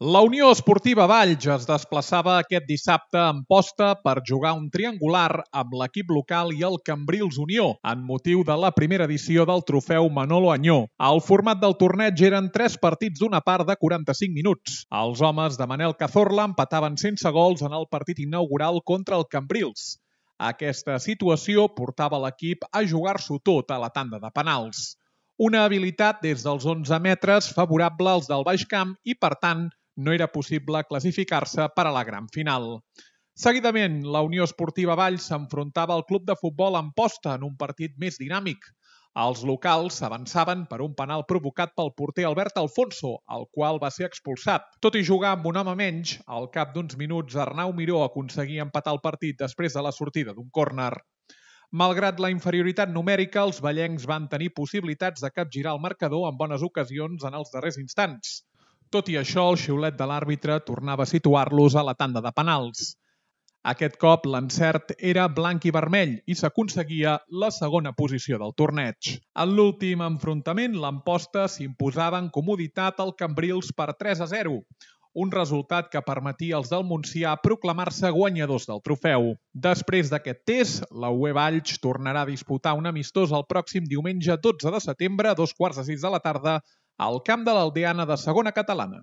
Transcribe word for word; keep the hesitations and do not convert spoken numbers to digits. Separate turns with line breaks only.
La Unió Esportiva Valls es desplaçava aquest dissabte a Amposta per jugar un triangular amb l'equip local i el Cambrils Unió, en motiu de la primera edició del trofeu Manolo Añó. El format del torneig eren tres partits d'una part de quaranta-cinc minuts. Els homes de Manel Cazorla empataven sense gols en el partit inaugural contra el Cambrils. Aquesta situació portava l'equip a jugar-s'ho tot a la tanda de penals. Una habilitat des dels onze metres favorable als del Baix Camp i, per tant, no era possible classificar-se per a la gran final. Seguidament, la Unió Esportiva Valls s'enfrontava al club de futbol Amposta en un partit més dinàmic. Els locals s'avançaven per un penal provocat pel porter Albert Alfonso, el qual va ser expulsat. Tot i jugar amb un home menys, al cap d'uns minuts Arnau Miró aconseguia empatar el partit després de la sortida d'un córner. Malgrat la inferioritat numèrica, els vallencs van tenir possibilitats de capgirar el marcador en bones ocasions en els darrers instants. Tot i això, el xiulet de l'àrbitre tornava a situar-los a la tanda de penals. Aquest cop l'encert era blanc i vermell i s'aconseguia la segona posició del torneig. En l'últim enfrontament, l'Amposta s'imposava en comoditat al Cambrils per tres a zero, un resultat que permetia als del Montsià proclamar-se guanyadors del trofeu. Després d'aquest test, la U E Valls tornarà a disputar un amistós el pròxim diumenge dotze de setembre a dos quarts de sis de la tarda al camp de l'Aldeana de Segona Catalana.